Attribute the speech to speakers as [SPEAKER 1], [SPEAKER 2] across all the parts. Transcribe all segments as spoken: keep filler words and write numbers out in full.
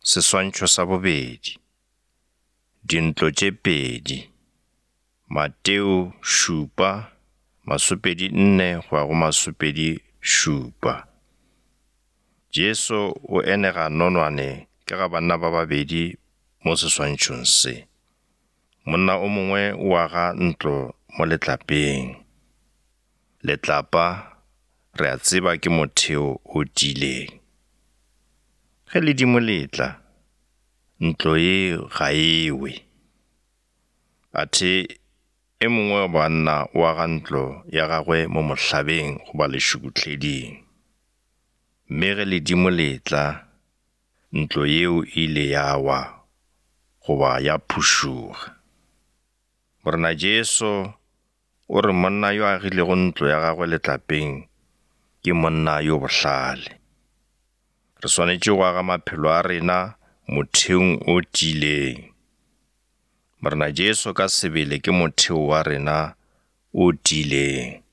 [SPEAKER 1] Seswantšho sa bobedi. Dintlo tše pedi. Mateo šupa, masopedi nne go ya go masopedi šupa. Jesu o enega nonwane ka ga banna ba babedi mo seswantšhong se. Monna o mongwe o aga ntlo mo letlapeng. Letlapa, re a tseba ke motheo o tiileng. Ge ledimo le tla, ntlo ye ga e we. Athe e mongwe wa banna o aga ntlo ya gagwe mo mohlabeng goba lešukuhleding. Mme ge ledimo le tla, ntlo yeo e ile ya wa goba ya phušoga. Morena Jesu o re monna yo a agilego ntlo ya gagwe letlapeng ke monna yo bohlale. Re swanetše go aga maphelo a rena motheong o tiileng. Morena Jesu ka sebele ke motheo wa rena o tiileng.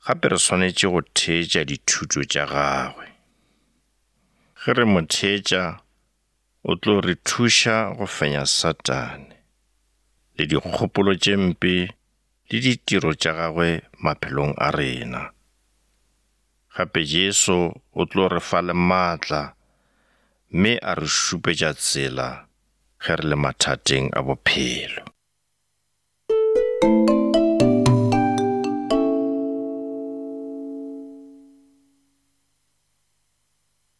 [SPEAKER 1] Gape re swanetše go theetša dithuto tša gagwe. Ge re mo theetša, o tlo re thuša go fenya Satane le dikgopolo tše mpe le ditiro tša gagwe maphelong a rena. Gape Jesu o tlo re fa le maatla mme a re šupetša tsela ge re le mathateng a bophelo.